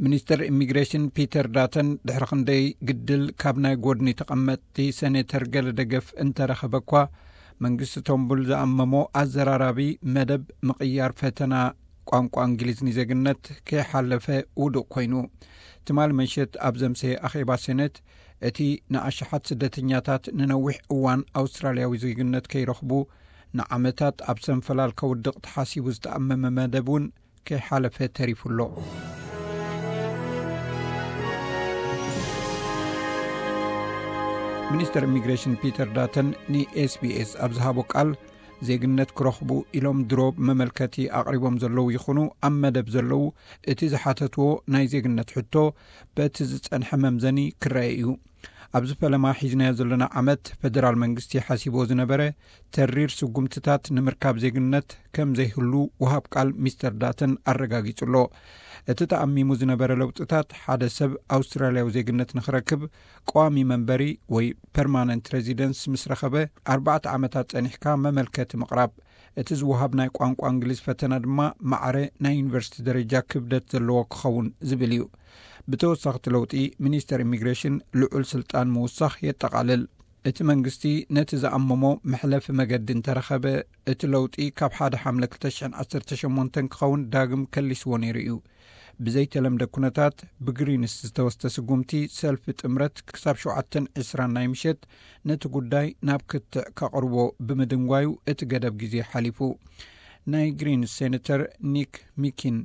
ሚኒስተር ኢሚግሬሽን ፒተር ዳተን ድሕሪ ክንደይ ግድል ካብ ናይ ጎድኒ ተቐመጥቲ ሴኔተር ገለ ደገፍ እንተረኸበ እኳ፣ መንግስቲ ቶምቡል ዝኣመሞ ኣዘራራቢ መደብ ምቕያር ፈተና ቋንቋ እንግሊዝ ንዜግነት ከይሓለፈ ውዱቕ ኮይኑ። ትማሊ ምሸት ኣብ ዘምሰየ ኣኼባ ሴኔት፣ እቲ ንኣሽሓት ስደተኛታት ንነዊሕ እዋን ኣውስትራልያዊ ዜግነት ከይረኽቡ ንዓመታት ኣብ ሰንፈላል ከውድቕ ተሓሲቡ ዝተኣመመ መደብ እውን ከይሓለፈ ተሪፉ ኣሎ። ሚኒስተር ኢሚግሬሽን ፒተር ዳተን ንኤስቢኤስ ኣብ ዝሃቦ ቃል፣ ዜግነት ክረኽቡ ኢሎም ድሮ መመልከቲ ኣቕሪቦም ዘለዉ ይኹኑ ኣብ መደብ ዘለዉ፣ እቲ ዝሓተትዎ ናይ ዜግነት ሕቶ በቲ ዝጸንሐ መምዘኒ ክረአ እዩ። ኣብዚ ፈለማ ሒዝናዮ ዘለና ዓመት፣ ፈደራል መንግስቲ ሓሲቦ ዝነበረ ተሪር ስጉምትታት ንምርካብ ዜግነት ከም ዘይህሉ ወሃብ ቃል ሚስተር ዳተን ኣረጋጊጹ ኣሎ። እቲ ተኣሚሙ ዝነበረ ለውጥታት፣ ሓደ ሰብ ኣውስትራልያዊ ዜግነት ንኽረክብ ቀዋሚ መንበሪ ወይ ፐርማነንት ሬዚደንስ ምስ ረኸበ፣ ኣርባዕተ ዓመታት ጸኒሕካ መመልከቲ ምቕራብ፣ እቲ ዝወሃብ ናይ ቋንቋ እንግሊዝ ፈተና ድማ ማዕረ ናይ ዩኒቨርሲቲ ደረጃ ክብደት ዘለዎ ክኸውን ዝብል እዩ። ብተወሳኺ፣ እቲ ለውጢ ሚኒስተር ኢሚግሬሽን ልዑል ስልጣን ምውሳኽ የጠቓልል። እቲ መንግስቲ ነቲ ዝኣመሞ መሕለፊ መገዲ እንተረኸበ፣ እቲ ለውጢ ካብ ሓደ ሓምለ ክልተ ሽሕን ዓሰርተ ሸሞንተን ክኸውን ዳግም ከሊስዎ ነይሩ እዩ። ብዘይተለምደ ኩነታት፣ ብግሪንስ ዝተወስደ ስጉምቲ ሰልፊ ጥምረት ክሳብ ሸውዓተን ዕስራን ናይ ምሸት ነቲ ጉዳይ ናብ ክትዕ ከቕርቦ ብምድንጓዩ፣ እቲ ገደብ ግዜ ሓሊፉ። ናይ ግሪንስ ሴኔተር ኒክ ሚኪን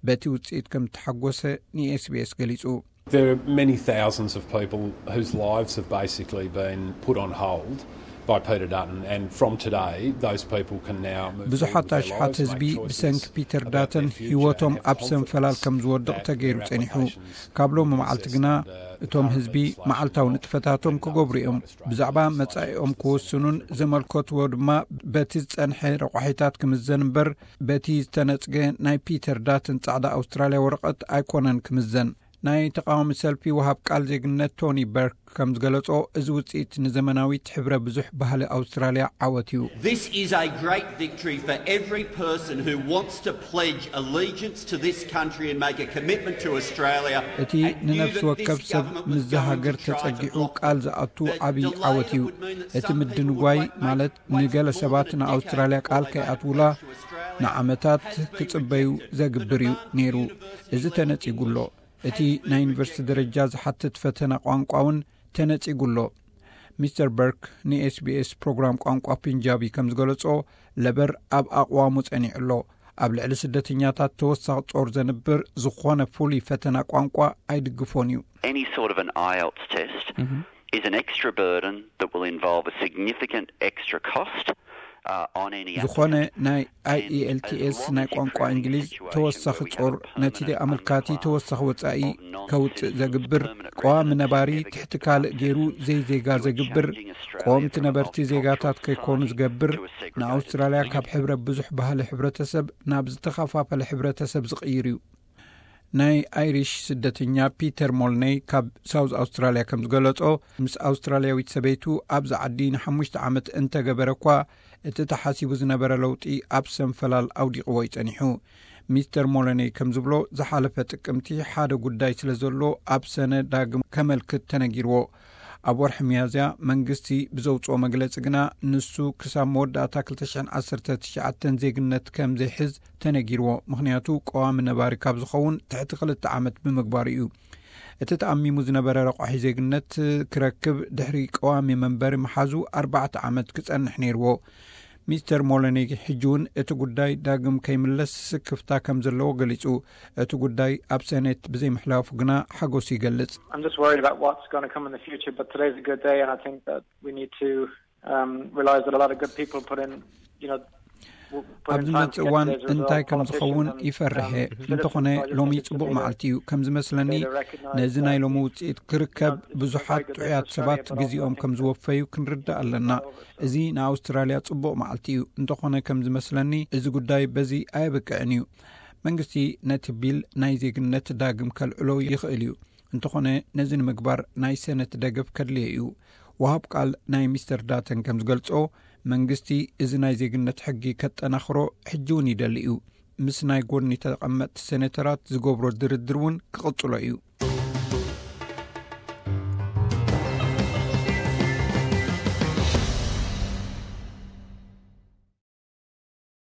በቲ ውጽኢት ከም ዝተሓጎሰ ንኤስቢኤስ ገሊጹ። There are many thousands of people whose lives have basically been put on hold by Peter Dutton, and from today, those people can now move forward ብዙሓት with their ኣሽሓት lives, ህዝቢ make choices ብሰንኪ ፒተር about ዳተን their future, ህይወቶም and have ኣብ ሰንፈላል confidence ከም ዝወድቕ that ተገይሩ their ጸኒሑ። applications ካብ ሎሚ will be መዓልቲ assessed ግና under the እቶም current ህዝቢ legislation መዓልታዊ not ንጥፈታቶም conduct ክገብሩ እዮም። Australian ብዛዕባ legislation መጻኢኦም under ክወስኑን the ዘመልከትዎ ድማ በቲ ዝጸንሐ ረቋሒታት ክምዘን እምበር፣ በቲ ዝተነጽገ ናይ ፒተር ዳተን ጻዕዳ ኣውስትራልያ ወረቐት ኣይኮነን ክምዘን። ናይ ተቃዋሚ ሰልፊ ወሃብ ቃል ዜግነት ቶኒ በርክ ከም ዝገለጾ፣ እዚ ውጽኢት ንዘመናዊት ሕብረ ብዙሕ ባህሊ ኣውስትራልያ ዓወት እዩ። This is a great victory for every person who wants to pledge allegiance to this country and make a commitment to Australia. እቲ ንነፍሲ ወከፍ ሰብ ምስዛ ሃገር ተጸጊዑ ቃል ዝኣቱ ዓብዪ ዓወት እዩ። እቲ ምድንጓይ ማለት፣ ንገለ ሰባት ንኣውስትራልያ ቃል ከይኣትውላ ንዓመታት ክጽበዩ ዘግብር እዩ ነይሩ። እዚ ተነጺጉ ኣሎ። እቲ ናይ ዩኒቨርሲቲ ደረጃ ዝሓትት ፈተና ቋንቋ እውን ተነጺጉ ኣሎ። ሚስተር በርክ ንኤስቢኤስ ፕሮግራም ቋንቋ ፒንጃቢ ከም ዝገለጾ፣ ለበር ኣብ ኣቕዋሙ ጸኒዑ ኣሎ። ኣብ ልዕሊ ስደተኛታት ተወሳኺ ጾር ዘንብር ዝኾነ ፍሉይ ፈተና ቋንቋ ኣይድግፎን እዩ። Any sort of an IELTS test is an extra burden that will involve a significant extra cost uh, on any ዝኾነ ናይ ኣይኢኤልቲኤስ ናይ ቋንቋ እንግሊዝ ተወሳኺ ጾር፣ ነቲ ኣመልካቲ ተወሳኺ ወጻኢ ከውጽእ ዘግብር፣ ቀዋሚ ነባሪ ትሕቲ ካልእ ገይሩ ዘይዜጋ ዘግብር፣ ቀወምቲ ነበርቲ ዜጋታት ከይኮኑ ዝገብር፣ ንኣውስትራልያ ካብ ሕብረ ብዙሕ ባህሊ ሕብረተሰብ ናብ ዝተኸፋፈለ ሕብረተሰብ ዝቕይር እዩ። ናይ ኣይሪሽ ስደተኛ ፒተር ሞልነይ ካብ ሳውዝ ኣውስትራልያ ከም ዝገለጾ፣ ምስ ኣውስትራልያዊት ሰበይቱ ኣብዚ ዓዲ ንሓሙሽተ ዓመት እንተገበረ እኳ፣ እቲ ተሓሲቡ ዝነበረ ለውጢ ኣብ ሰንፈላል ኣውዲቕዎ እዩ ጸኒሑ። ሚስተር ሞለነይ ከም ዝብሎ፣ ዝሓለፈ ጥቅምቲ ሓደ ጉዳይ ስለ ዘሎ ኣብ ሰነ ዳግም ከመልክት ተነጊርዎ። ኣብ ወርሒ ሚያዝያ መንግስቲ ብዘውጽኦ መግለጺ ግና፣ ንሱ ክሳብ መወዳእታ ክልተ ሽሕን ዓሰርተ ትሽዓተን ዜግነት ከም ዘይሕዝ ተነጊርዎ፣ ምኽንያቱ ቀዋሚ ነባሪ ካብ ዝኸውን ትሕቲ ክልተ ዓመት ብምግባሩ እዩ። እቲ ተኣሚሙ ዝነበረ ረቋሒ ዜግነት ክረክብ ድሕሪ ቀዋሚ መንበሪ ምሓዙ ኣርባዕተ ዓመት ክጸንሕ ነይርዎ። ሚስተር ሞለኒ ሕጂ እውን እቲ ጉዳይ ዳግም ከይምለስ ስክፍታ ከም ዘለዎ ገሊጹ። እቲ ጉዳይ ኣብ ሰኔት ብዘይምሕላፉ ግና ሓጎሱ ይገልጽ። I'm just worried about what's going to come in the future, but today's a good day, and I think that we need to um, realize that a lot of good people put in, you know, w- put ኣብ in time ዝመጽእ to get እዋን today's result. እንታይ ከም ዝኸውን Politicians and, ይፈርሕ እየ። um, citizens እንተኾነ are just ሎሚ interested to ጽቡቕ see that. መዓልቲ እዩ። ከም ዝመስለኒ፣ ነዚ ናይ ሎሚ ውጽኢት ክርከብ ብዙሓት ጥዑያት ሰባት ግዜኦም ከም ዝወፈዩ ክንርዳእ ኣለና። እዚ ንኣውስትራልያ ጽቡቕ መዓልቲ እዩ። እንተኾነ ከም ዝመስለኒ፣ እዚ ጉዳይ በዚ ኣየብቅዕን እዩ። መንግስቲ ነቲ ቢል ናይ ዜግነት ዳግም ከልዕሎ ይኽእል እዩ። እንተኾነ ነዚ ንምግባር ናይ ሰነት ደገፍ ከድልዮ እዩ። ወሃብ ቃል ናይ ሚስተር ዳተን ከም ዝገልጾ፣ መንግስቲ እዚ ናይ ዜግነት ሕጊ ከጠናኽሮ ሕጂ እውን ይደሊ እዩ። ምስ ናይ ጎድኒ ተቐመጥቲ ሴኔተራት ዝገብሮ ድርድር እውን ክቕጽሎ እዩ።